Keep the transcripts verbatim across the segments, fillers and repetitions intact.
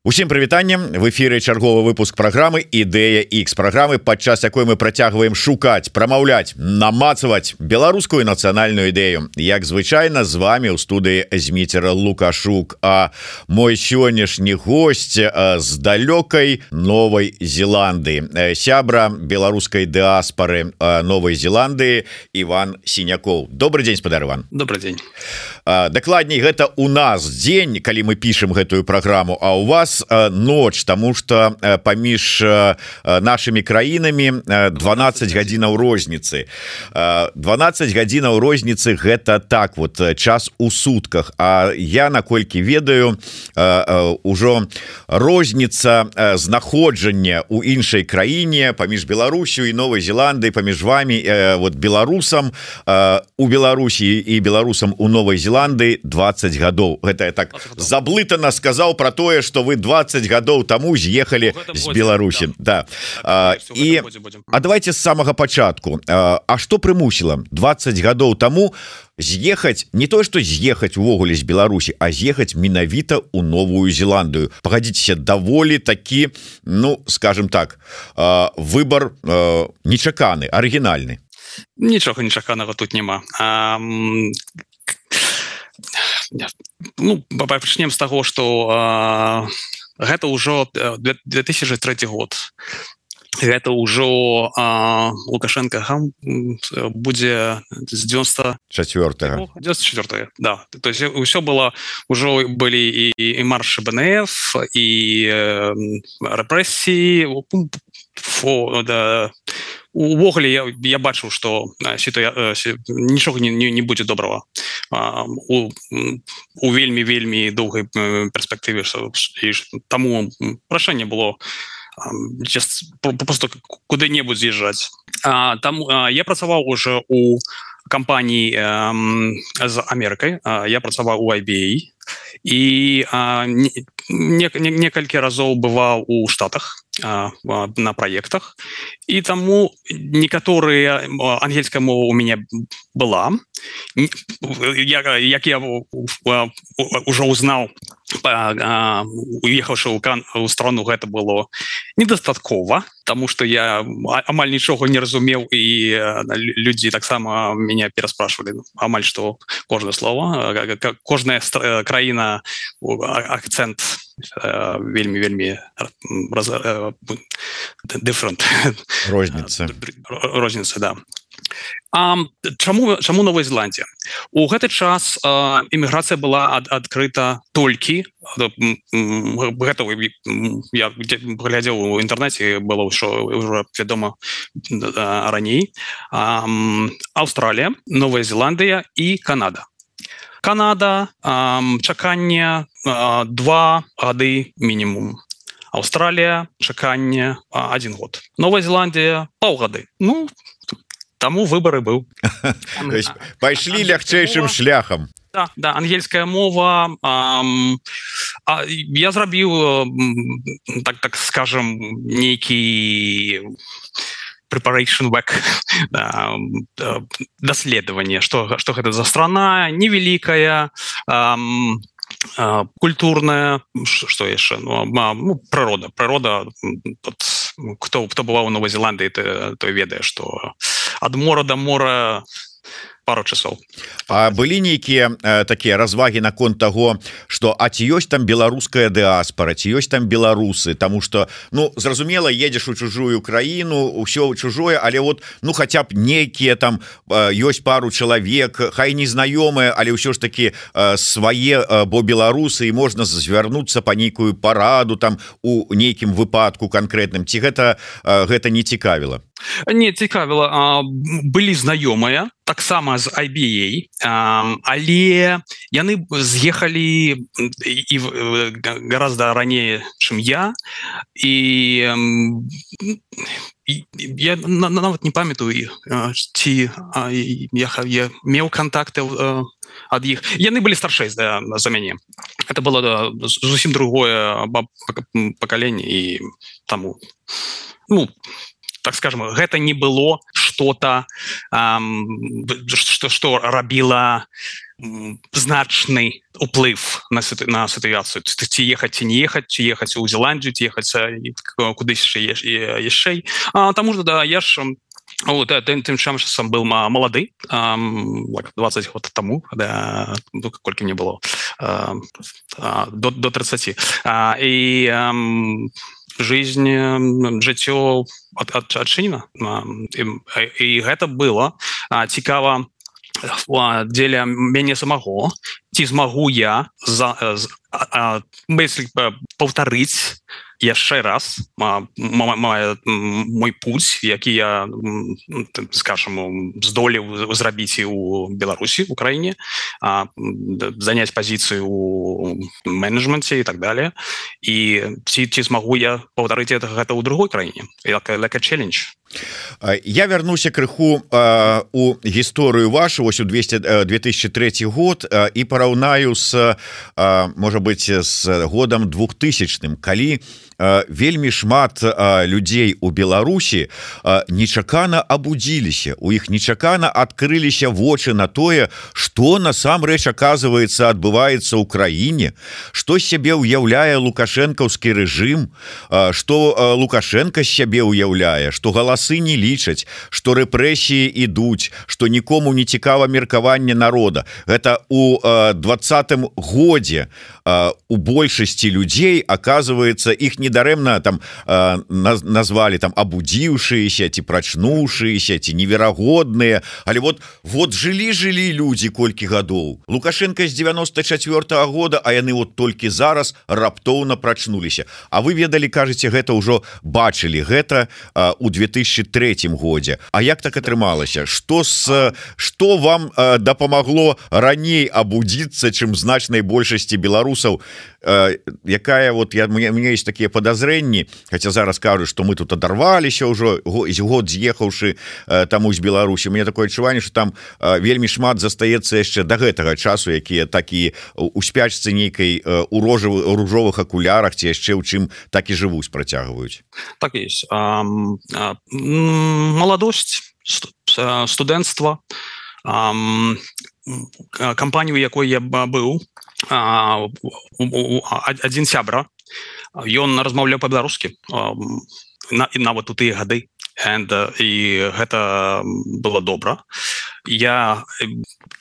Усім прывітаннем, в эфіры чарговы выпуск праграмы Ідэя X, праграмы, падчас якой мы працягваем шукаць, прамаўляць, намацаваць беларускую нацыянальную ідэю. Як звычайна, з вами ў студыі Зміцер Лукашук, а мой сённяшні госць з далёкай Новай Зеландыі, сябра беларускай дыаспары Новай Зеландыі Іван Сінякоў. Добры дзень, спадар Іван. Добрый дзень. Дакладней, гэта у нас дзень, калі мы пішам гэтую праграму, а у вас ноч, тому что паміж нашими краінамі дванаццаць гадзінаў розніцы. дванаццаць гадзінаў розніцы гэта так вот час у сутках. А я, наколькі ведаю, ужо розніца знаходжання у іншай краіне паміж Беларусью і Новай Зеландыі, паміж вами вот беларусам у Беларусі і беларусам у Новай Зеландыі дваццаць гадоў. Гэта я так заблытана сказаў про тое, что вы двадцать гадоў таму з'ехалі з Беларусі. Да. А, і, а давайте з самага пачатку. А, а што прымусіла двадцать гадоў таму з'ехаць, не то што з'ехаць увогуле з Беларусі, а з'ехаць менавіта ў Новую Зеландыю? Пагадзіцеся, даволі такі, ну, скажем так, выбар нечаканы, арыгінальны. Нічога нечаканага тут няма. А, ну, пачнем з таго, што гэта ўжо две тысячы трэці год. Гэта ўжо Лукашенко будзе з дзевяносто четвёртого. девяносто четвёртого, да. То есть ўсё было, ўжо былі і, і маршы БНФ, і рэпрэсіі, фо, да. Увогуле я, я бачыў, што нічога не, не, не будзе добрага у, у вельмі вельмі доўгай перспектыве, таму рашэнне было просто куды-небудзь з'язджаць. Там я працаваў уже у кампаніі з Амерыкай, я працаваў у ай би эй і не, не, некалькі разоў бываў у Штатах на праектах, і таму некаторыя ангельская мова у мяне была. Як я ўжо узнаў, уехаўшы ў страну, гэта было недастаткова, таму што я амаль нічога не разумеў, і людзі таксама мяне пераспрашвалі амаль што кожнае слово, кожная краіна, акцэнт вельмі вельмі different. Розніца. Розніца, да. А чаму чаму Новая Зеландія? У гэты час іміграцыя была ад, адкрыта толькі, гэта я глядзеў у інтэрнэце, было ўжо ўжо вядома раней. Аўстралія, Новая Зеландыя і Канада. Канада, чаканне два гады мінімум. Аўстралія, чаканне один год. Новая Зеландія паўгады. Ну, таму выбары быў. Пайшлі лягчэйшым шляхам. Да, да, ангельская мова. Ам, а, я зрабіў, так, так скажем, нейкі preparation work, даследаванне, што, што гэта за страна, невеликая, ам, а, культурная, што яшчэ, ну, ну, прырода, прырода, тут, хто, хто бываў у Новай Зеландыі, той, той ведае, што ад мора да мора пару часоў. А былі нейкія э, такія развагі наконт таго, што а ці ёсць там беларуская дыаспара, ці ёсць там беларусы, таму што, ну, зразумела, едзеш у чужую краіну, ўсё чужое, але вот, ну, хаця б нейкія там э, ёсць пару чалавек, хай незнаёмыя, але ўсё ж такі э, свае, э, бо беларусы, і можна звярнуцца па нейкую параду там у нейкім выпадку канкрэтным. Ці гэта, э, гэта не цікавіла? Не, цікавіла. Былі знаёмыя, таксама з ай би эй, але яны з'ехалі і гораздо раней, чым я, і я нават не памятаю, ці я, я меў контакты ад іх. Яны былі старшэй за, за мяне. Это было зусім другое пакаленне, і таму, ну, так скажем, гэта не было что-то, что, что рабіла значный уплыв на, на ситуацию, ці ехаць ці не ехаць, ці ехаць у Зеландию, ці ехаць кудысь яшчэ. Таму что да, я ж вот, тым, тым часам был молоды, двадцать год тому, да, ну, колькі мне было, до, до тридцати. И жизнь, жыццё адчынена. І, і гэта было цікава дзеля мяне самого, ці змагу я за, за, паўтарыць яшчэ раз мой путь, які я, скажем, здолеў зрабіць і у Беларусі, у краіне, заняць пазіцыю у менеджменце і так далее. І ці, ці змагу я паўтарыць гэта, гэта ў другой краіне, like a, like a challenge. Я вернуся крыху э, у гісторыю вашу ось у две тысячи третий год э, і параўнаю с э, можа быть с годам двухтысячным, калі э, вельмі шмат э, людзей у Беларусі э, нечакана абудзіліся, у іх нечакана адкрыліся вочы на тое, што насамрэч оказывается адбываецца ў краіне, што сябе ўяўляе лукашэнкаўскі рэжым, э, што э, Лукашенко сябе ўяўляе, што галас не лічаць, што рэпрэсіі ідуць, што нікому не цікава меркаванне народа. Гэта у э, двадцатым годзе э, у большасці людзей, оказывается, іх недарэмна там э, назвалі там абудзіўшыеся, ці прачнуўшыеся, ці неверагодныя, але вот вот жылі-жылі людзі колькі гадоў. Лукашенко з девяносто четвёртого года, а яны вот толькі зараз раптоўна прачнуліся. А вы ведалі, кажаце, гэта ўжо бачылі, гэта э, у две тысячи третьем годзе. А як так атрымалася? Што с што вам э, дапамагло раней абудзіцца, чым значнай большасці беларусаў, э, якая вот я мне, мне есть такія подазрэнні, хотя зараз кажу, што мы тут адарваліся ўжо год з'ехаўшы э, таму з Беларусі. Мне такое адчуванне, што там э, вельмі шмат застаецца яшчэ да гэтага часу, якія такі у спячцы нейкай э, у ружовых акулярах ці яшчэ ў чым так і жывуць, працягваюць. Так есть. Um, uh, Молодость, студэнцтва, кампанію, якой я быў, адзін сябра, ён размаўляў па-беларускі нават у тыя гады, і гэта было добра. Я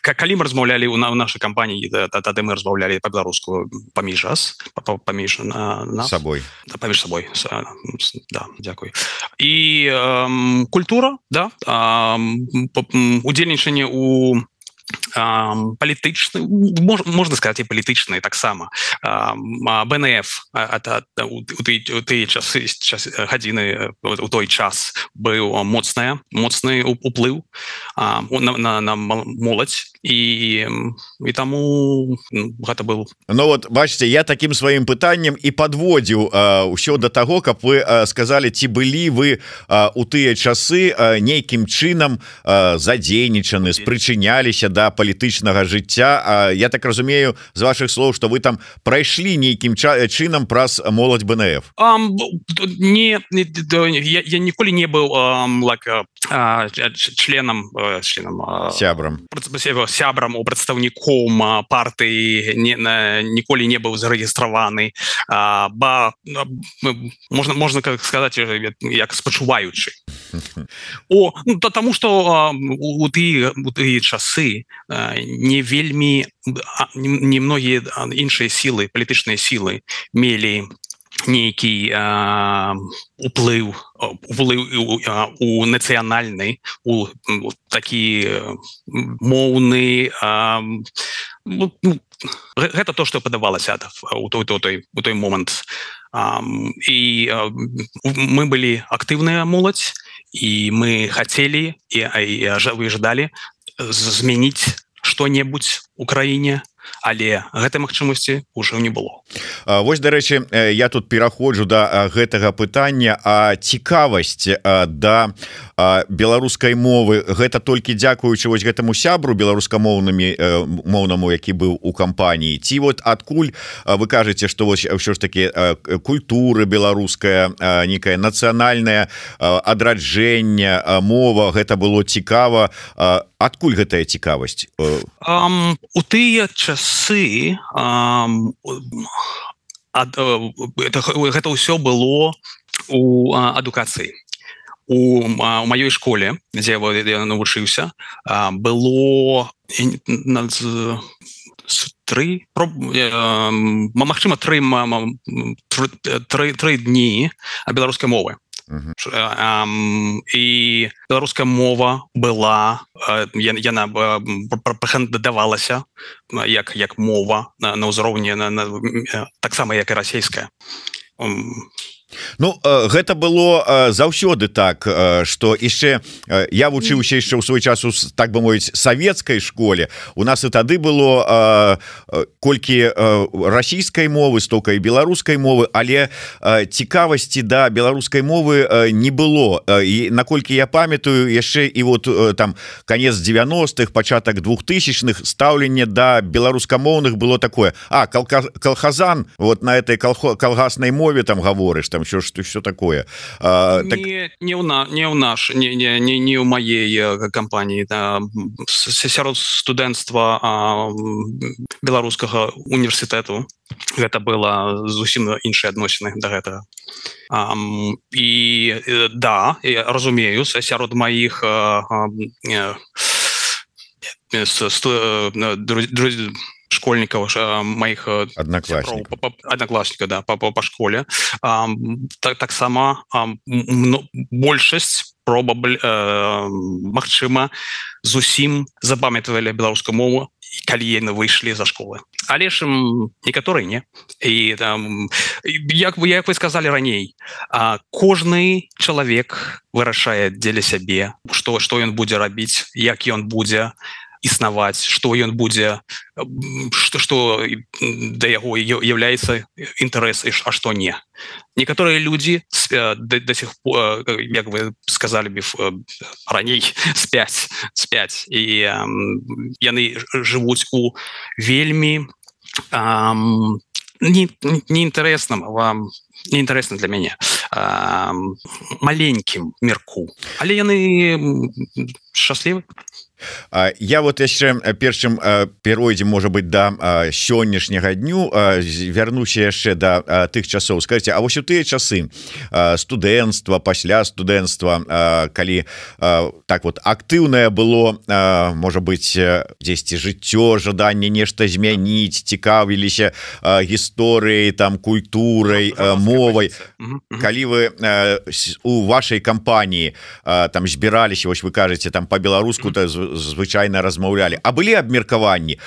калі мы размаўлялі у нашай кампаніі, тады мы размаўлялі па-беларуску паміж нас, паміж нас сабой, паміж сабой, да, дзякуй. І э, культура, да, э, удзельнічанне у палітычны, можна сказаць, і палітычны таксама. бэ эн эф у тыя часы гадзіны у той час быў моцная моцны уплыў на, на моладзь, і і таму гэта был. Ну вот бачите, я таким сваім пытаннем і подводзіў ўсё до таго, каб вы сказали, ці былі вы у тыя часы нейкім чынам задзейнічаны, спрычыняліся да палітычнага жыцця. А я так разумею з ваших слов, что вы там прайшлі нейкім чынам праз моладзь бэ эн эф. Um, не, я, я ніколі не быў um, like, uh, членам членам сябрам сябрам у прадстаўніком партыі, не, ніколі не быў зарэгістраваны, uh, ба можна можна сказаць, як спачуваючы. О, ну, тому что uh, у тыя у тыя часы не вельмі не многія іншыя сілы, палітычныя сілы мелі нейкі э, уплыў уплыў у нацыянальны, у такі моўны, э, ну, гэта то, што падавалася у той, той, у той момант. Um, і uh, мы былі актыўная моладзь, і мы хацелі і, і выждалі змяніць што-небудзь у краіне, але гэтай магчымасці ўжо не было. Вось, дарэчы, я тут пераходжу да гэтага пытання, а цікавасць да беларускай мовы гэта толькі дзякуючы вось гэтаму сябру беларускамоўнымі моўнаму, які быў у кампаніі, ці вот адкуль вы кажаце, што вось ўсё ж такі культура беларуская, некае нацыянальнае адраджэнне, мова, гэта было цікава, адкуль гэтая цікавасць? Um, у тыя часы um, ад, это, гэта ўсё было у адукацыі. У, у маёй школе, дзе я навучыўся, было тры, магчыма, тры, тры, тры дні беларускай мовы. Uh-huh. І беларуская мова была, яна прэтэндавалася як, як мова на, на ўзроўні на, на, таксама як і расійская. Ну гэта было заўсёды так, что яшчэ я вучыўся яшчэ ў свой час у, так бы мовіць, савецкай школе. У нас і тады было колькі расійскай мовы, столькі і беларускай мовы, але цікавасці да беларускай мовы не было. І наколькі я памятаю, яшчэ і вот там канец девяностых, пачатак двухтысячных стаўленне да беларускамоўных было такое: а калхазан, вот на этой калгаснай мове там гаворыш, там що ж все такое. А, не, так... не, у на, не у наш не, не, не, не у моей кампаніі, да, сярод студэнцтва беларускага універсітэту гэта было зусім іншыя адносіны да гэтага. А, і да, я разумею, сярод маіх школьников, моих одноклассников, одноклассников, да, по, по, по школе. А, так, так само а, большасць probably, а, магчыма, зусім запамятовали беларускую мову, калі яны выйшлі за школы. Але ж некаторыя не. І там, як вы, як вы сказали раней, а, кожны чалавек вырашае дзеля сябе, што, што ён будзе рабіць, як ён будзе існаваць, што ён будзе, што, што да яго являецца інтарэс, а што не. Некаторыя людзі да, да сих пор, як вы сказали бы раней, спяць, спяць. І um, яны жывуць у вельмі um, не, неінтарэсным вам, неінтарэсна для мяне, um, маленькім мірку. Але яны шчаслівы. Я вот яшчэ першым перайдзем, можа быть, да сённяшняга дню, вярнуся яшчэ да тых часоў. Скажыце, а вось у тыя часы студэнцтва, пасля студэнцтва, калі так вот актыўнае было, можа быть, дзесьці жыццё, жаданне нешта змяніць, цікавіліся гісторыяй, там, культурай, мовай, калі вы у вашай кампаніі там збіраліся, вось вы кажаце, там па-беларуску, то звычайна размаўлялі, а былі абмеркаванні,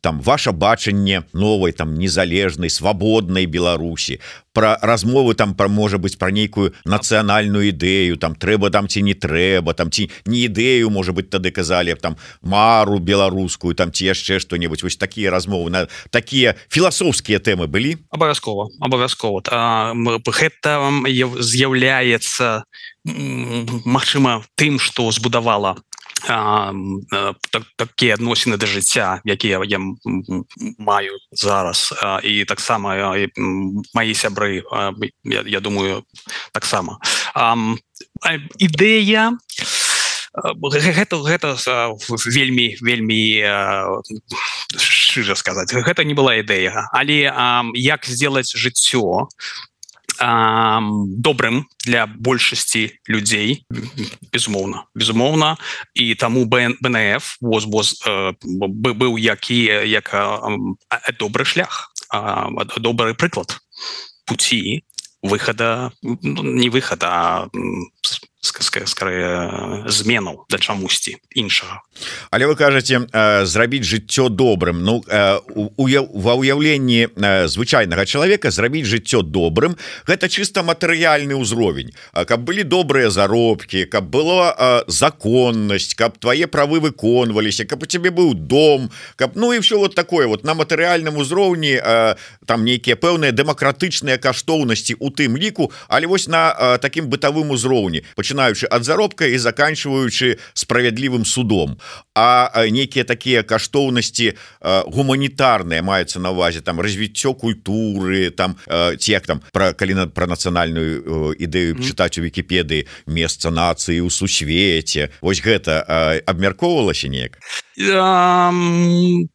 там ваша бачанне новай, там незалежнай, свабоднай Беларусі, пра размовы там пра, можа быць, пра нейкую нацыянальную ідэю, там трэба там ці не трэба, там ці не ідэю, можа быць, тады казалі там мару беларускую, там ці яшчэ што-небудзь. Вось такія размовы, на такія філасофскія тэмы былі? Абавязкова, абавязкова. Гэта з'яўляецца, магчыма, тым, што збудавала А, так, такія адносіны да жыцця, якія я маю зараз, а, і таксама і маі сябры, а, я, я думаю, таксама. А, ідэя гэта, гэта вельмі, вельмі шчыра сказаць, гэта не была ідэя, але а, як зробіць жыццё добрым для большасці людзей, безумоўна, безумоўна, і таму бэ эн эф воз, воз, быў які, як добры шлях, добры прыклад пуці выхада, не выхада, а скорее зменаў да чамусьці іншага. Але вы кажаце, зрабіць жыццё добрым. Ну, ва ўяўленні звычайнага чалавека зрабіць жыццё добрым — гэта чыста матэрыяльны ўзровень. Каб былі добрыя заробкі, каб была законнасць, каб твае правы выконваліся, каб у цябе быў дом, каб, ну і ўсё вот такое вот на матэрыяльным узроўні, там нейкія пэўныя дэмакратычныя каштоўнасці у тым ліку, але вось на такім бытавым узроўні. пачынаючы ад заробка і заканчиваючы справядлівым судом. А некія такія каштоўнасці гуманітарныя маюцца на увазе, там развіццё культуры, там ці як там пра калі пра нацыянальную ідэю mm. чытаць у Вікіпедыі месца нацыі ў сусвеце. Вось гэта абмяркоўвалася неяк? Um,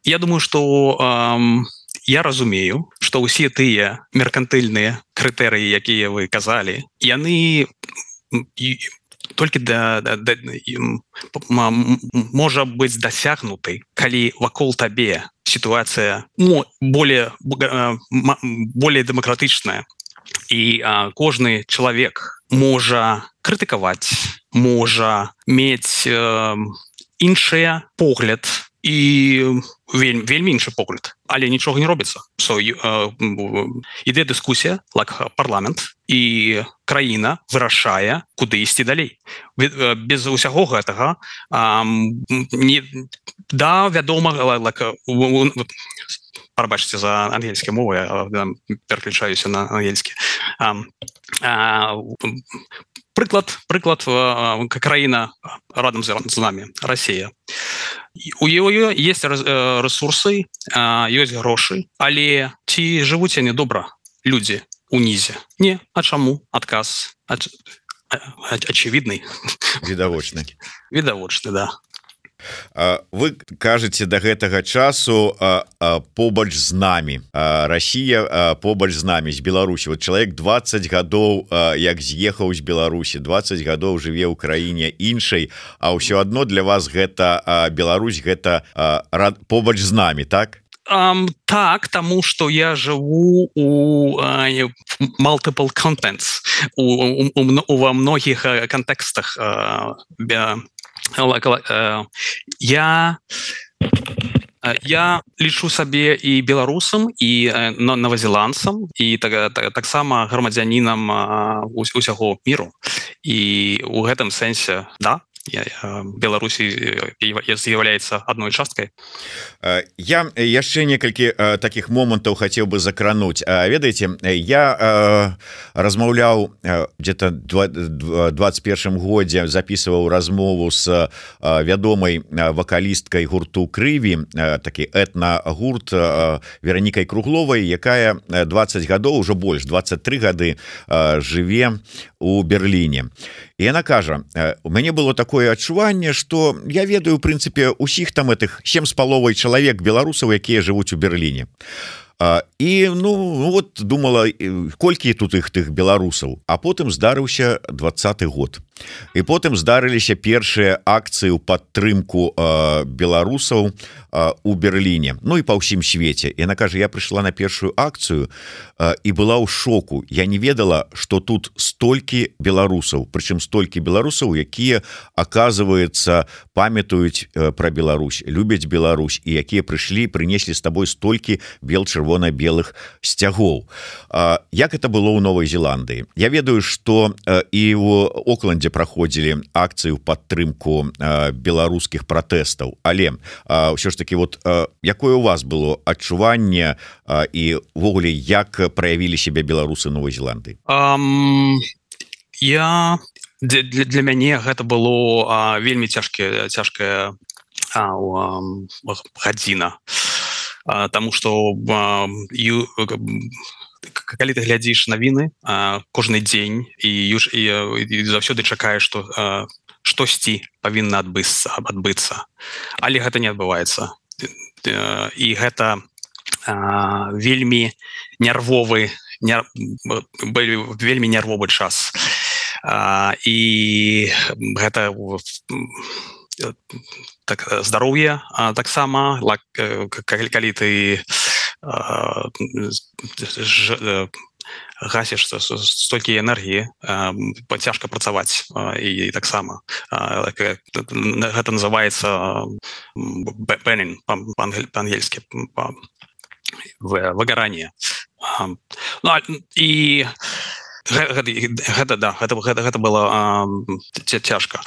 я думаю, што um, я разумею, што ўсе тыя меркантыльныя крытэрыі, якія вы казалі, яны толькі да, да, да, можа быць дасягнутай, калі вакол табе сітуацыя более, более дэмакратычная, і а, кожны чалавек можа крытыкаваць, можа мець э, іншыя погляд і вельмі, вельмі іншы погляд, але нічога не робіцца. So, uh, іде дыскусія, like парламент, і краіна вырашае, куды ісці далей. Без усяго гэтага um, не, да, вядома, like, пробачце за ангельскія мовы, я пераключаюся на ангельскі. Um, uh, Прыклад, прыклад краіна радам з нами, Расія. У яе есть ресурсы, ёсць грошы, але ці жывуць яны добра людзі унізе? Не, а чаму? Адказ ачевідны. Відавочны. Відавочны, да. Вы кажаце да гэтага часу побач з намі, Расія побач з намі, з Беларусі. Вот чалавек дваццаць гадоў як з'ехаў з Беларусі, дваццаць гадоў жыве ў краіне іншай, а ўсё адно для вас гэта Беларусь, гэта побач з намі, так? Um, так, таму што я жыву у uh, multiple contents, у, у, у, у, ва многіх кантэкстах. Uh, Я, я лічу сабе і беларусам, і новазеландцам, і так, так, таксама грамадзянінам усяго міру. І ў гэтым сэнсе, да, Беларусі з'яўляецца адной часткай. Я яшчэ некалькі такіх момантаў хацеў бы закрануць. Ведаеце, я размаўляў где-то двадцать першым годзе, записываў размову з вядомай вакалісткай гурту Крыві, такі этна-гурт Веранікай Кругловай, якая двадцать гадоў, ужо больш, двадцать три гады жыве у Берліне. І яна кажа, у мяне было такое адчуванне, што я ведаю, у прынцыпе, усіх там этих сем з паловай чалавек беларусаў, якія жывуць у Берліне. І, ну, вот думала, колькі тут іх тых беларусаў. А потым здарыўся двадцаты год. І потым здарыліся першыя акцыі ў падтрымку беларусаў у Берліне, ну і па ўсім свеце. І яна кажа, я прыйшла на першую акцыю і была ў шоку. Я не ведала, што тут столькі беларусаў, прычым столькі беларусаў, якія, аказваецца, памятаюць пра Беларусь, любяць Беларусь, і якія прыйшлі, прынеслі з табой столькі бел-чырвона-белых сцягоў. Як это было ў Новай Зеландыі? Я ведаю, што і ў Окленде праходзілі акцыю ў падтрымку беларускіх пратэстаў, але ўсё ж таки, вот якое у вас было адчуванне і ўвогуле як праявілі себе беларусы Новай Зеландыі? Um, я для, для мяне гэта было а, вельмі цяжкая цяжкая а, а, гадзіна, а, таму што а, ю, калі ты глядзіш навіны кожны дзень і, і, і заўсёды чакаеш, што а, штосьці павінна адбыцца, адбыцца, але гэта не адбываецца. І гэта а, вельмі нервовы нер... вельмі нервовы час. А, і гэта так, здароўе таксама, калі, калі ты а, ж, гасіш столькі энергіі, цяжка працаваць, і таксама гэта называецца burning па-ангельскі, выгаранне. Ну, і гэта, гэта, да, гэта, гэта, гэта было цяжка.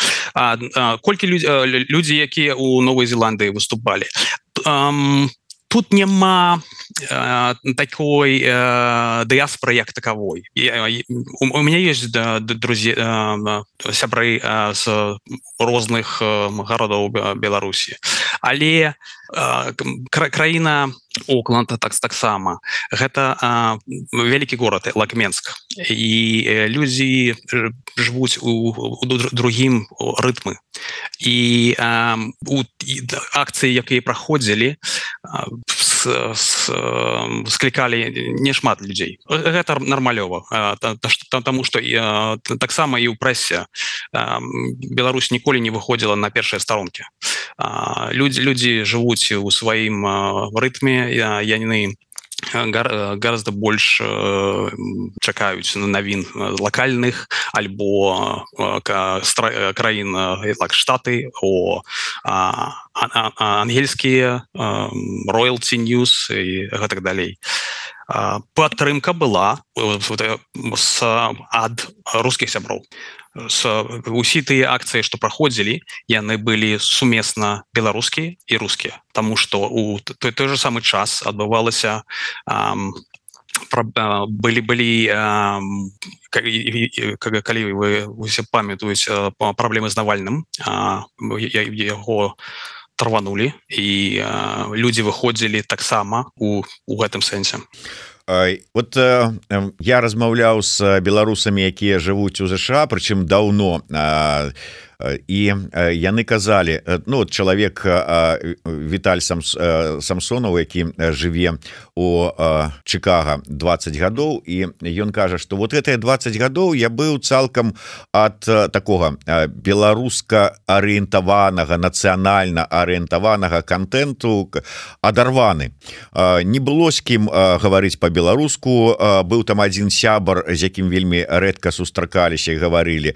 Колькі людзі, якія ў Новай Зеландыі выступалі? Тут няма такой диаспоры як таковой. У меня есть друзья, сябры з розных гарадоў Беларусі, але краіна Окланд так таксама гэта вялікі горад Лакменск, і людзі жывуць у, у другім рытмы, і у акцыі, якія праходзілі, склікалі нешмат людзей. Гэта нармалёва, таму што таксама і ў прэсе Беларусь ніколі не выходзіла на першыя старонкі. Людзі, людзі жывуць у сваім рытме, яны гораздо больш чакаюць навін лакальных альбо краін як Штаты, о ангельскія Royalty News і гэтак далей. Падтрымка была ад рускіх сяброў. Усе тыя акцыі, што праходзілі, яны былі сумесна беларускія і рускія, таму што у той, той же самы час адбывалася былі былі калі вы усе памятаюць праблемы з Навальным, яго тарванулі, і людзі выходзілі таксама у, у гэтым сэнсе. Вот э, я размаўляў з беларусамі, якія жывуць у ЗША, прычым даўно, э, і яны казалі, ну вот чалавек Віталь Самсонаў, які жыве у Чикаго двадцать гадоў, і ён кажа, што вот гэтыя двадцать гадоў я быў цалкам ад такога беларуска арыентаванага, нацыянальна арыентаванага контенту адарваны. Не было з кім гаварыць по-беларуску, быў там адзін сябар, з якім вельмі рэдка сустракаліся і гаварылі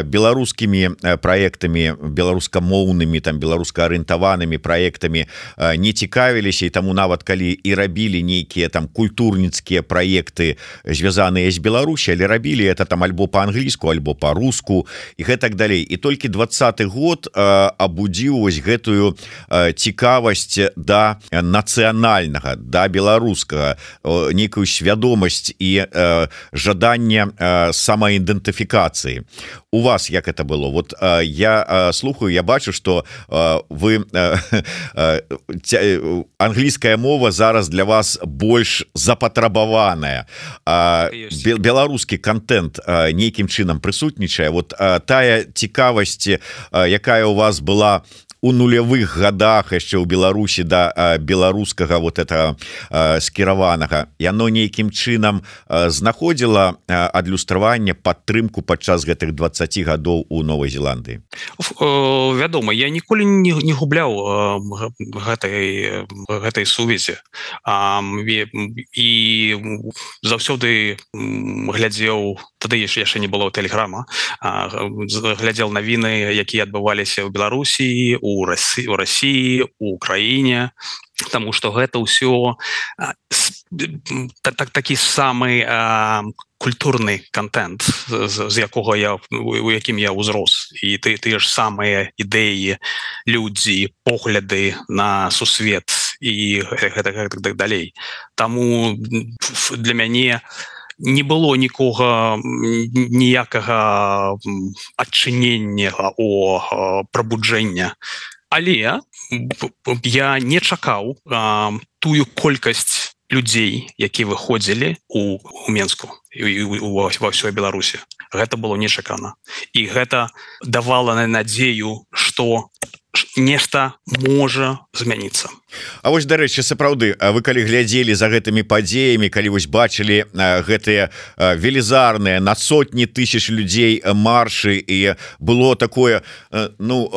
беларускімі проектами, беларускамоўнымі, там беларускаарыентаванымі проектами не цікавіліся, і таму нават калі і рабілі нейкія там культурніцкія проекты, звязаныя з Беларусі, але рабілі это там альбо по-англійску, альбо по-руску і гэтак далей. І толькі двадцаты год абудзіў вось гэтую цікавасць да нацыянальнага, да беларускага, нейкую свядомасць і жаданне самаідэнтыфікацыі. У вас як это было? Вот э, я э, слухаю, я бачу, что э, вы э, э, англійская мова зараз для вас больш запатрабаваная. Э, беларускі контент э, нейкім чынам прысутнічае. Вот э, тая цікавасць, э, якая у вас была у нулявых годах яшчэ ў Беларусі да беларускага вот это скіраванага, яно нейкім чынам знаходзіла адлюстраванне, падтрымку падчас гэтых двадцаці гадоў у Новай Зеландыі? Вядома, я ніколі не, не губляў гэтай, гэтай сувязі, і заўсёды глядзеў, тады яшчэ не было тэлеграма, глядзеў навіны, якія адбываліся ў Беларусі, у России, у России, у Украине, потому что это все так, так, такі самый а, культурный контент, з, з якого я, у яким я узрос, і ти, ти ж самые ідеї, люди, погляди на сусвет і так далей. Тому для мяне не было нікога, ніякага адчынення о прабуджэння. Але я не чакаў а, тую колькасць людзей, які выходзілі у, у Менску і ва ўсёй Беларусі. Гэта было нечакана. І гэта давала надзею, што нешта можа змяніцца. А вось, дарэчы, сапраўды, вы калі глядзелі за гэтымі падзеямі, калі вось бачылі гэтыя велізарныя на сотні тысяч людзей маршы, і было такое, ну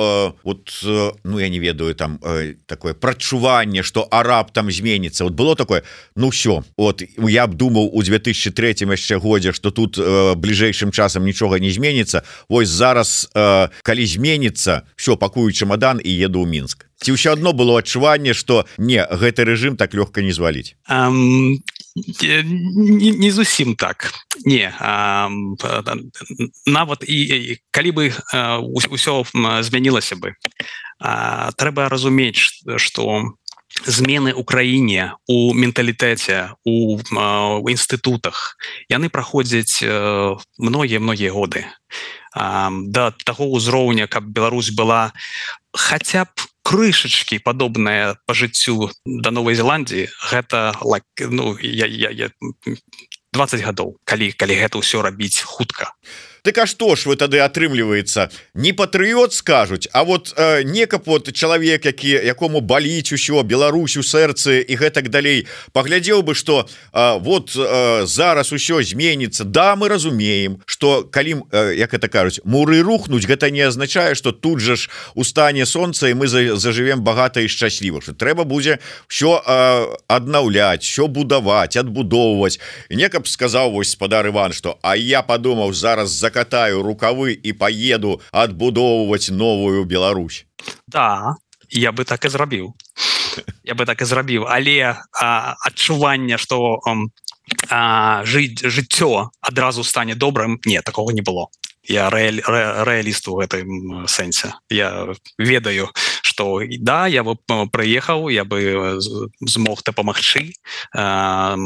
вот, ну я не ведаю, там такое прачуванне, што араб там зменіцца, вот было такое, ну все, вот я б думаў у две тысячи третьем яшчэ годзе, што тут бліжэйшым часам нічога не зменіцца. Вось зараз, калі зменіцца, все, пакую чемодан і еду ў Мінск. Ці ўсё адно было адчуванне, што не, гэты рэжым так лёгка не зваліць? Um, не, не зусім так. Не. Um, нават і, і калі бы uh, ўсё змянілася бы, uh, трэба разумець, што змены ў краіне, у менталітэце, у інстытутах, яны праходзяць многія-многія годы. Да таго ўзроўня, каб Беларусь была хаця б крышачкі падобная па жыццю да Новай Зеландіі, гэта like, ну, я, я, я, дваццаць гадоў, калі, калі гэта ўсё рабіць хутка. Так а што ж вы тады атрымліваецца? Не патрыёт скажуць, а вот э, некаб вот чалавек, які якому баліць усё, Беларусь у сэрцы і гэтак далей, паглядзеў бы, што э, вот э, зараз усё зменіцца. Да, мы разумеем, што калі, э, як это кажуць, муры рухнуць, гэта не азначае, што тут жа ж устане сонца і мы зажывем багата і шчасліва. Што трэба будзе ўсё э, аднаўляць, ўсё будаваць, адбудоўваць. І некаб сказаў вось спадар Іван, што а я падумаў, зараз за катаю рукавы і поеду адбудоўваць новую Беларусь. Да, я бы так і зрабіў. Я бы так і зрабіў, але а, адчування, што а, жыць, жыццё адразу стане добрым, не, такого не было. Я рэаль, рэ, рэаліст у гэтым сэнсе. Я ведаю, што да, я бы прыехаў, я бы змог дапамагчы а,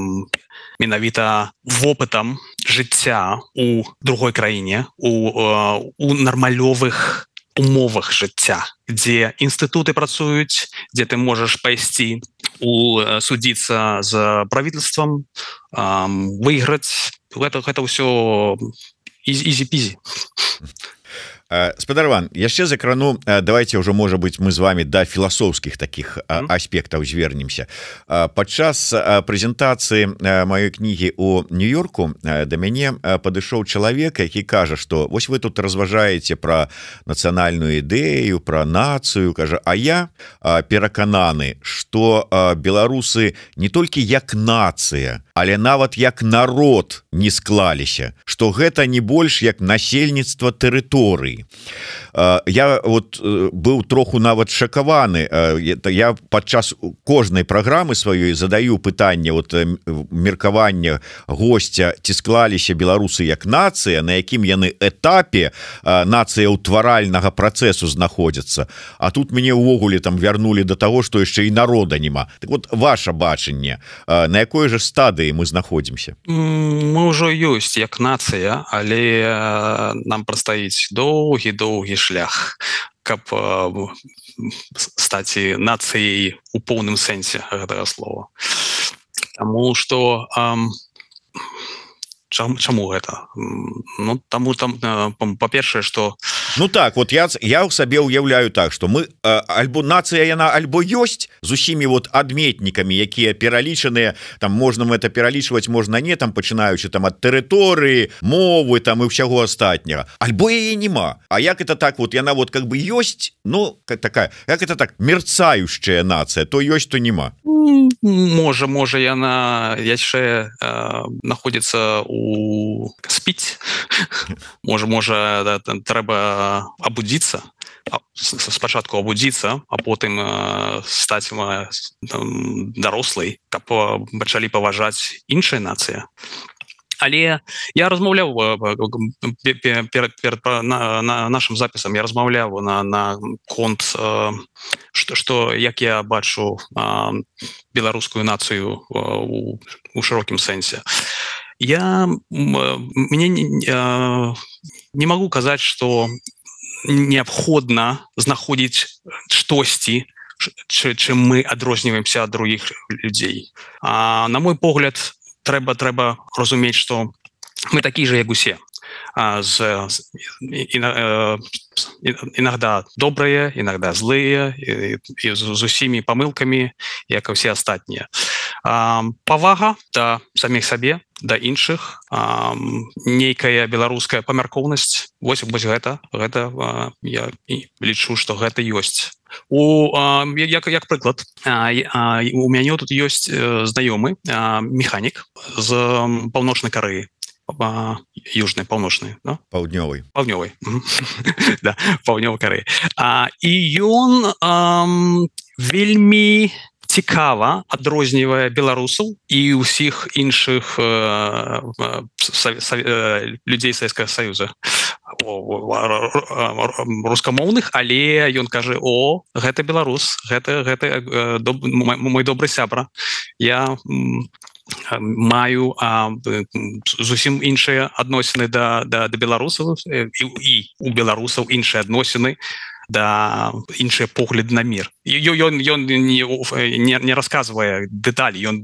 менавіта вопытам жыцця у другой краіне, у, у нармалёвых умовах жыцця, дзе інстытуты працуюць, дзе ты можаш пайсці у судзіцца з правительствам, выйграць. Гэта, гэта ўсё easy-peasy. Спадар Іван, яшчэ закрану, давайте ўжо, можа быць, мы з вами да філасофскіх таких mm. аспектаў звернемся. Падчас прэзентацыі маёй кнігі ў Нью-Йорку да мяне падышоў чалавек, які кажа, што вось вы тут разважаеце пра нацыянальную ідэю, пра нацыю, кажа, а я перакананы, што беларусы не толькі як нацыя, але нават як народ не склаліся, што гэта не больш як насельніцтва тэрыторыі. Я вот быў троху нават шакаваны. Я падчас кожнай праграмы сваёй задаю пытанне вот меркавання госця, ці склаліся беларусы як нацыя, на якім яны этапе нацыя ўтваральнага працэсу знаходзяцца. А тут мяне ўвогуле там вярнулі да таго, што яшчэ і народа няма. Так вот, ваша бачанне, на якой жа стадыі мы знаходзімся? Мы ўжо ёсць як нацыя, але нам прадстаіць доўгі-доўгі шлях, каб э, стаць нацыяй у поўным сэнсе гэтага слова. Таму што э, чам, чаму гэта? Ну, таму там, э, па-першае, што Ну так, вот я, я ў сабе ўяўляю так, што мы э, альбо нацыя яна альбо ёсць з усімі вот адметнікамі, якія пералічаныя, там можна это пералічваць, можна не, там пачынаючы там ад тэрыторыі, мовы там і ўсяго астатняга, альбо яе нема. А як это так, вот яна вот как бы ёсць, ну как такая, як это так, мерцающая нацыя, то ёсць, то нема. Можа, можа яна яшчэ э, находіцца у спіць. Можа, можа да, трэба абудзіцца, спачатку абудзіцца, а потым э, стаць э, дарослай, каб пачалі паважаць іншыя нацыі. Але я размаўляў перад, перад на, на нашим запісам, я размаўляў на, на конт, што, што як я бачу беларускую нацыю у, у шырокім сэнсе. Я мне не, не магу казаць, што неабходна знаходзіць штосьці, чым мы адрозніваемся ад другіх людзей. А, на мой погляд, трэба трэба разумець, што мы такі же, як усе, з іногда добрыя, іногда злыя, і, і з усімі памылкамі, як і ўсе астатнія. Павага да саміх сабе, да іншых, нейкая беларуская памяркоўнасць, вось, вось гэта, гэта я лічу, што гэта ёсць. У, як, як прыклад, у мяне тут ёсць знаёмы механік з паўночнай Карэі, южнай, паўночнай, да? Паўднёвай. Паўднёвай. Да, паўднёвай Карэі. І ён вельмі цікава адрознівае беларусаў і ўсіх іншых э, са, са, э, людзей Савецкага Саюза рускамоўных, але ён кажа: о, гэта беларус, гэта гэта э, доб, мой добры сябра, я маю а, зусім іншыя адносіны да, да, да беларусаў і, і у беларусаў іншыя адносіны да іншыя погляды на мір. Ён, ён не, не, не расказвае дэталі, ён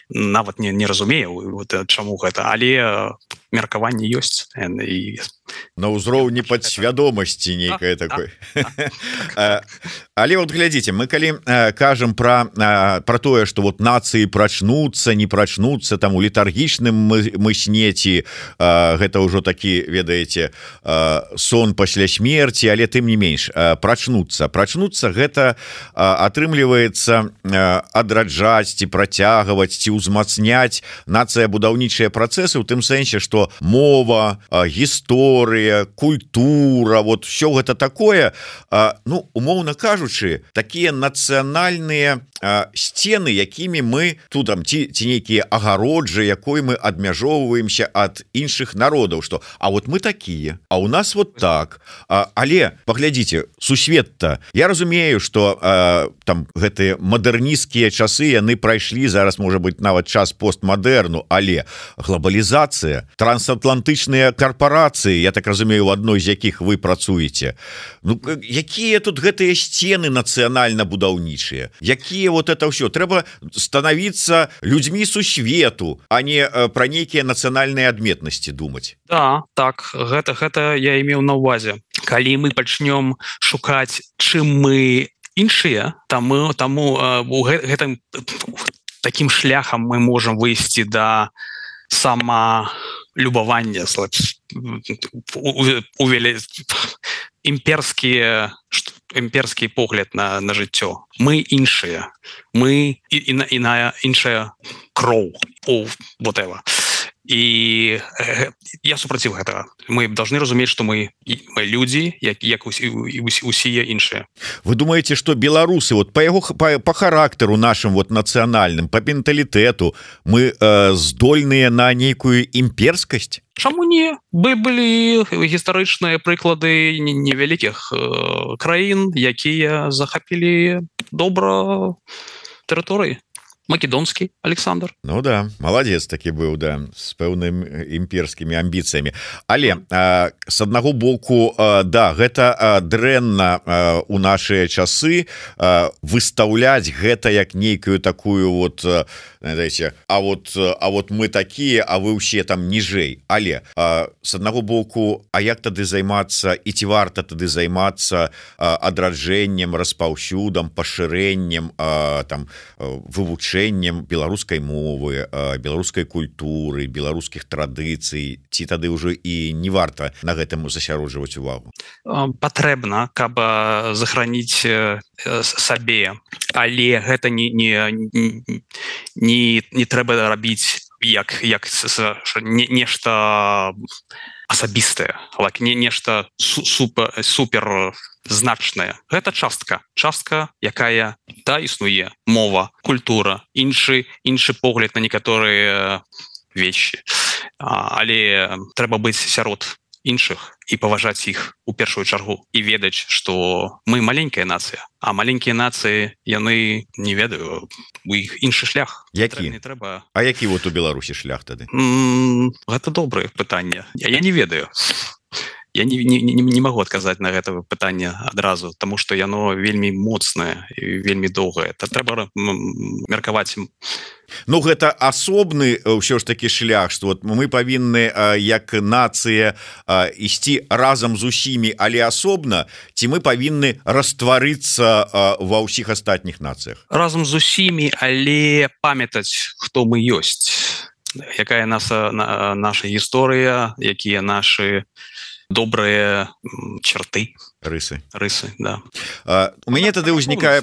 нават не, не разумее вот, чаму гэта, але меркаванне ёсць і... на ўзроўні падсвядомасці нейкае такой. Але вот глядзіце, мы калі кажам пра пра тое, што вот нацыі прачнуцца, не прачнуцца там у літаргічным мы снеці, гэта ўжо такі, ведаеце, сон пасля смерці, але тым не менш прачнуцца прачнуцца гэта атрымліваецца адраджаць ці працягваць ці ўзмацняць нацыя будаўнічыя працэсы, у тым сэнсе, што мова, гісторыя, культура, вот все гэта такое, ну умоўна кажучы, такія нацыянальныя сцены, якімі мы тут там ці, ці нейкія агароджы, якой мы адмяжоўваемся ад іншых народаў, што а вот мы такія, а у нас вот так. Але паглядзіце, сусвет-то, я разумею, што там гэтыя мадэрнісцкія часы яны прайшлі, зараз можа быць нават час постмадэрну, але глобалізацыя, трансатлантычныя карпорацыі, я так разумею, у адной з якіх вы працуеце, ну якія тут гэтыя сцены нацыянальна-будаўнічыя, якія вот это ўсё, трэба становіцца людзьмі сусвету, а не пра нейкія нацыянальныя адметнасці думаць. Да, так, гэта, гэта я имеў на ўвазе. Калі мы пачнём шукаць, чым мы іншыя, таму, таму у гэтым такім шляхам мы можам выйсці да самалюбавання, увелі імперскія імперскі погляд на, на жыццё. Мы іншыя, мы і, і, на, і на іншая кроў, о, whatever. І э, я супраціў гэтага. Мы должны разумець, што мы, мы людзі, як, як усія іншыя. Вы думаеце, што беларусы вот па яго па, па характару нашым вот нацыянальным, па менталітэту мы э, здольныя на нейкую імперскасць? Чаму не? Бы былі гістарычныя прыклады невялікіх э, краін, якія захапілі добра тэрыторыі. Македонскі Александр. Ну да, маладзец такі быў, да, з пэўным імперскімі амбіцыямі. Але а, з аднаго боку, а, да, гэта а, дрэнна а, у нашыя часы а, выстаўляць гэта як нейкую такую вот, а, знаете, а вот а вот мы такія, а вы ўсе там ніжэй. Але а, з аднаго боку, а як тады займацца і ці варта тады займацца а, адраджэннем, распаўсюдам, пашырэннем, а, там вывучэннем беларускай мовы, беларускай культуры, беларускіх традыцый, ці тады ўжо і не варта на гэтым засяроджваць увагу? Патрэбна, каб захраніць сабе, але гэта не, не, не, не трэба рабіць як, як не, нешта асабістае, like, не, нешта супер, супер значная. Гэта частка, частка, якая да існуе, мова, культура, іншы іншы погляд на некаторыя вещи. Але трэба быць сярод іншых і паважаць іх у першую чаргу і ведаць, што мы маленькая нацыя, а маленькія нацыі яны не ведаю, у іх іншы шлях. Які? Не трэба... А які вот у Беларусі шлях тады? М-м, гэта добрае пытанне. Я, я не ведаю. Я не, не, не, не магу адказаць на гэта пытанне адразу, таму што яно вельмі моцнае і вельмі доўгае. Та трэба меркаваць. Ну гэта асобны ўсё ж такі шлях, што вот мы павінны як нацыя ісці разам з усімі, але асобна, ці мы павінны растварыцца ва ўсіх астатніх нацыях? Разам з усімі, але памятаць, хто мы ёсць, якая наша, наша гісторыя, якія нашы добрые черты, рысы рысы, да. а, у мяне тады ўзнікае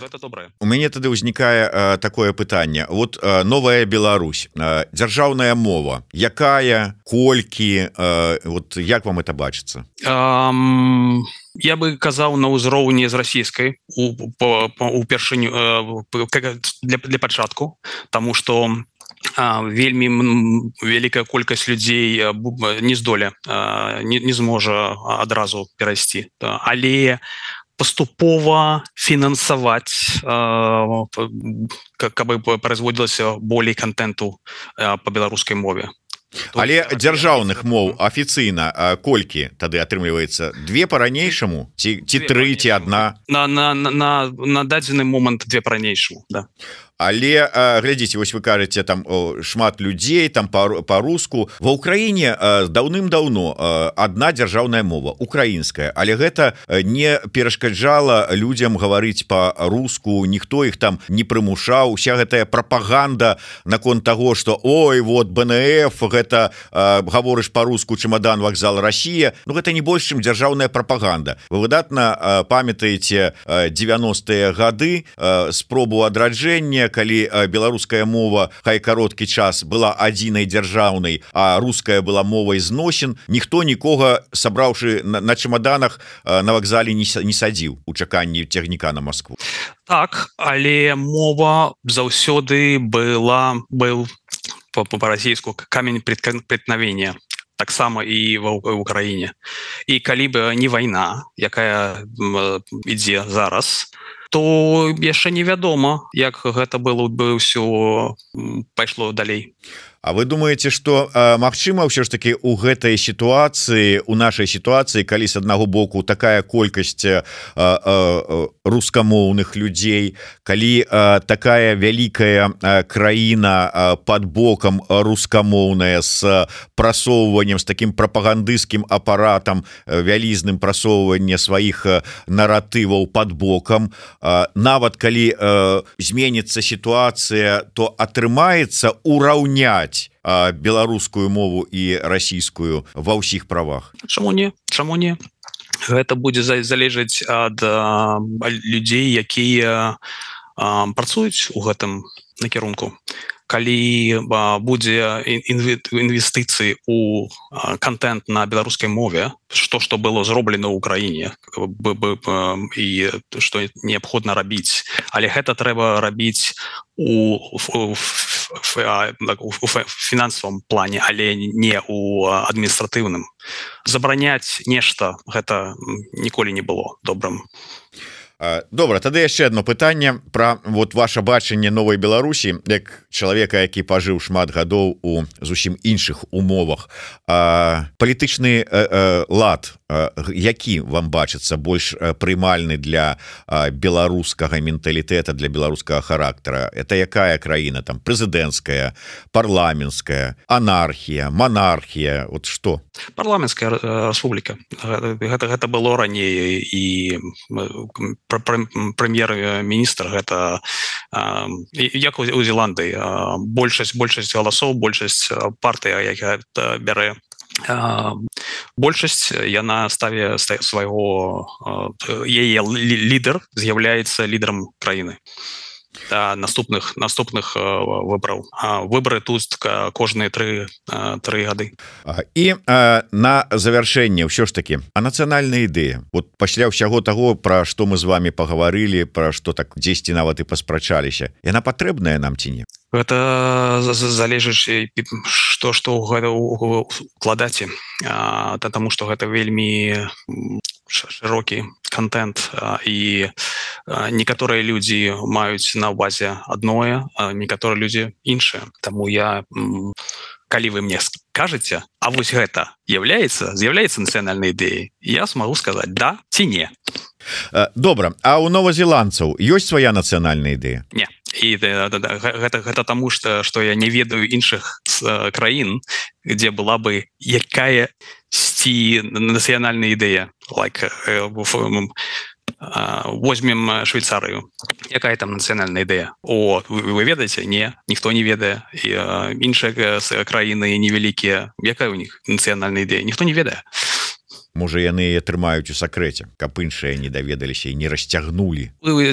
у мяне тады ўзнікае такое пытанне. Вот а, новая Беларусь, а, дзяржаўная мова, якая, колькі, а, вот як вам это бачыцца? Um... Я бы казаў на ўзроўні з расійскай упершыню для, для пачатку, тому что а, вельмі вялікая колькасць людзей не здоле не, не зможа адразу перайсці, але паступова фінансаваць, каб производзілася болей контенту по беларускай мове. Але дзяржаўных моў афіцыйна колькі тады атрымліваецца? Две па-ранейшаму ці, ці тры, ці адна? На, на, на, на дадзены момант две па-ранейшаму, да. Але глядзіце, вось вы кажаце там о, шмат людзей там па-руску. Ва ўкраіне даўным-даўно адна дзяржаўная мова украінская, але гэта не перашкаджала людзям гаварыць па-руску, ніхто іх там не прымушаў. Уся гэтая прапаганда наконт таго, што ой, вот бэ эн эф, гэта гаворыш па-руску, чемадан, вакзал, Расія. Ну гэта не больш, чым дзяржаўная прапаганда. Вы выдатна памятаеце дзевяностыя гады, спробу адраджэння, калі беларуская мова хай кароткі час была адзінай дзяржаўнай, а руская была мовай зносін, ніхто нікога, сабраўшы на, на чемаданах, на вакзале не, не садзіў у чаканні цягніка на Москву. Так, але мова заўсёды была был по-расійску камень преткновения. Таксама і в Украіне. І калі б не вайна, якая ідзе зараз, то яшчэ невядома, як гэта было бы ўсё пайшло далей. А вы думаете, что магчыма ўсё ж таки у гэтай сітуацыі, у нашай сітуацыі, калі з аднаго боку такая колькасць а, а, рускамоўных людзей, калі а, такая вялікая а, краіна а, под бокам рускамоўная з прасоўваннем, з таким прапагандысцкім апаратам, вялізным прасоўванне сваіх наратываў под бокам, а, нават калі а, зменіцца сітуацыя, то атрымаецца ураўняць беларускую мову і расійскую ва ўсіх правах? Чаму не? Чаму не? Гэта будзе залежаць ад людзей, якія працуюць у гэтым накірунку. Калі будзе інвестыцыі у контент на беларускай мове, што што было зроблена ў Украіне і што неабходна рабіць, але гэта трэба рабіць у фінансавым плане, але не у адміністратыўным. Забараняць нешта гэта ніколі не было добрым. Добра, тады яшчэ одно пытанне пра вот ваше бачанне новай Беларусі як чалавека, які пажыў шмат гадоў у зусім іншых умовах. Палітычны лад, які вам бачыцца больш прымальны для беларускага менталітэта, для беларускага характара? Это якая краіна? Там прэзідэнцкая, парламенцкая, анархія, монархія, вот што? Парламенцкая рэспубліка. Гэта, гэта было раней, і прэм'ер-міністр гэта як у Зеландыі, большасць большасць галасоў, большасць партыя, якая бярэ большасць, яна ставе свайго, яе лідар з'яўляецца лідарам краіны да наступных наступных выбораў. Выборы тут кожныя тры тры гады. І на завяршэнне ўсё ж таки, а нацыянальная ідэя, вот пасля ўсяго таго, пра што мы з вами пагаварылі, пра што так дзесьці нават і паспрачаліся, яна патрэбная нам ці не? Гэта залежыць што што гэта укладаце, таму што гэта вельмі шырокі контент, і некаторыя людзі маюць на ўвазе адное, а некаторыя людзі іншае. Таму я, калі вы мне скажаце, а вось гэта з'яўляецца з'яўляецца нацыянальнай ідэяй, я смогу сказаць да ці не. Добра, а у новазеландцаў ёсць свая нацыянальная ідэя? Не. І гэта, гэта таму, што, што я не ведаю іншых краін, дзе была бы якая сці нацыянальная ідэя. Like, возьмем Швейцарыю. Якая там нацыянальная ідэя? О, вы, вы ведаеце? Не, ніхто не ведае. І іншыя краіны невялікія. Якая у них нацыянальная ідэя? Ніхто не ведае. Можа яны трымаюць у сакрэце, каб іншыя не даведаліся і не расцягнулі. Вы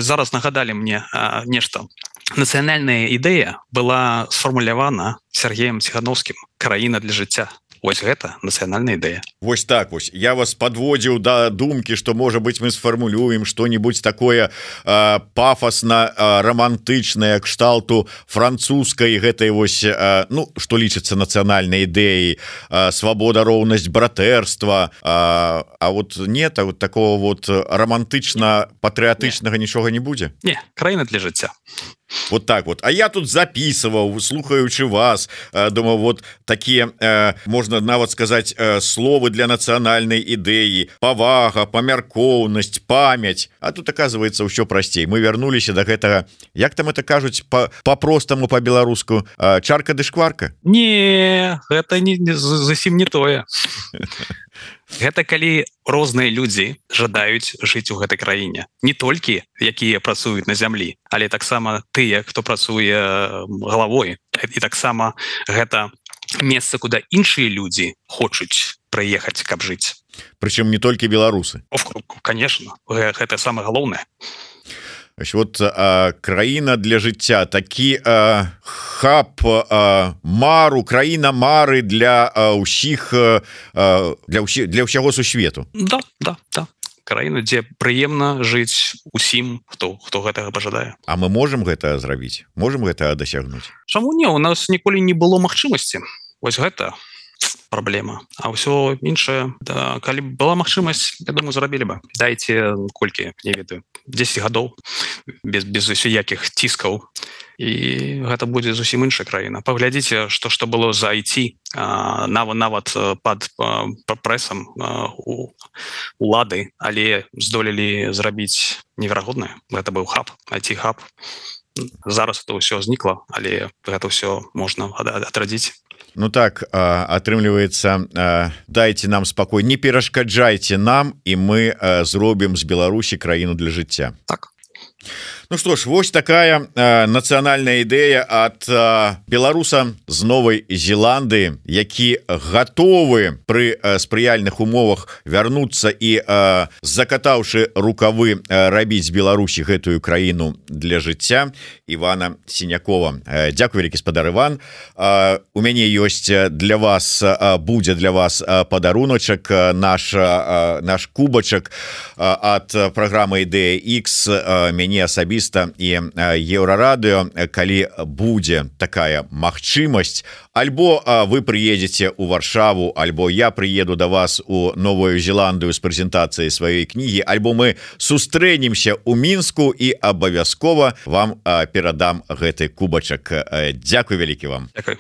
зараз нагадалі мне нешта. Нацыянальная ідэя была сфармулявана Сергеем Ціхановскім «Краіна для жыцця». Вось гэта нацыянальная ідэя. Вось так вось я вас подводзіў да думкі, што можа быть мы сфармулюем што-нибудь такое э, пафосна э, романтычнае кшталту французскай гэтай вось э, ну што лічыцца нацыянальнай ідэяй, э, свабода, роўнасць, братэрства, э, а вот нет, а вот такого вот романтычна патрыятычнага нічога не будзе. Не, краіна для жыцця. Вот так вот. А я тут записываў, слухаючы вас, э, думаю, вот такие э, можна нават сказаць э, словы для нацыянальнай ідэі, павага, памяркоўнасць, памяць. А тут оказывается ўсё прасцей. Мы вярнуліся до гэтага, як там это кажуць по-простаму по-беларуску, э, чарка ды шкварка. Не, гэта не, не зусім не тое. Гэта калі розныя людзі жадаюць жыць у гэтай краіне, не толькі якія працуюць на зямлі, але таксама тыя, хто працуе галавой, і таксама гэта месца, куды іншыя людзі хочуць прыехаць, каб жыць. Прычым не толькі беларусы. Конечно, гэта самае галоўнае. Вот а, краіна для жыцця, такі а, хаб а, мару, краіна мары для а, ўсіх а, для ўсі, для ўсяго сусвету. Да, да, да. Краіна, дзе прыемна жыць усім, хто хто гэтага пажадае. А мы можем гэта зрабіць, можем гэта дасягнуць? Чаму не, у нас ніколі не было магчымасці. Вось гэта праблема. А ўсё іншае, да, калі была магчымасць, я думаю, зрабілі бы. Дайце колькі, не ведаю, дзесяць гадоў без без усякіх ціскаў, і гэта будзе зусім іншая краіна. Паглядзіце, што што было за ай ти, нават нават пад прэсам улады, але здолелі зрабіць неверагоднае. Гэта быў хаб, ай ти-хаб. Зараз это ўсё знікла, але гэта ўсё можна адрадзіць. Ну так, атрымліваецца, дайце нам спакой, не перашкаджайце нам, і мы зробім з Беларусі краіну для жыцця. Так. Ну что ж, вось такая э, нацыянальная ідэя ад э, беларуса з Новай Зеландыі, які гатовы пры э, спрыяльных умовах вярнуцца і э, закатаўшы рукавы э, рабіць Беларусі гэтую краіну для жыцця. Івана Сінякова. Э, Дзякуй вялікі, спадар Іван. Э, у мяне ёсць для вас, э, будзе для вас э, падаруначак, э, наш, э, наш кубачак э, ад праграмы Ідэя Ікс, э, мяне асабіста і Еўрарадыё, калі будзе такая магчымасць, альбо вы прыедзеце ў Варшаву, альбо я прыеду да вас у Новую Зеландыю з прэзентацыяй сваёй кнігі, альбо мы сустрэнемся ў Мінску і абавязкова вам перадам гэты кубачак. Дзякуй вялікі вам. Дзякуй.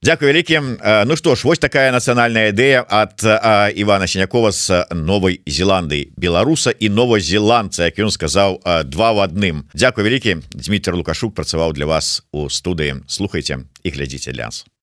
Дзякуй вялікі. Ну што ж, вось такая нацыянальная ідэя ад а, Івана Сінякова з Новай Зеландыі, беларуса і новазеландца, як ён сказаў, а, два в адным. Дзякуй вялікі. Дмітрий Лукашук працаваў для вас у студыі. Слухайце і глядзіце для нас.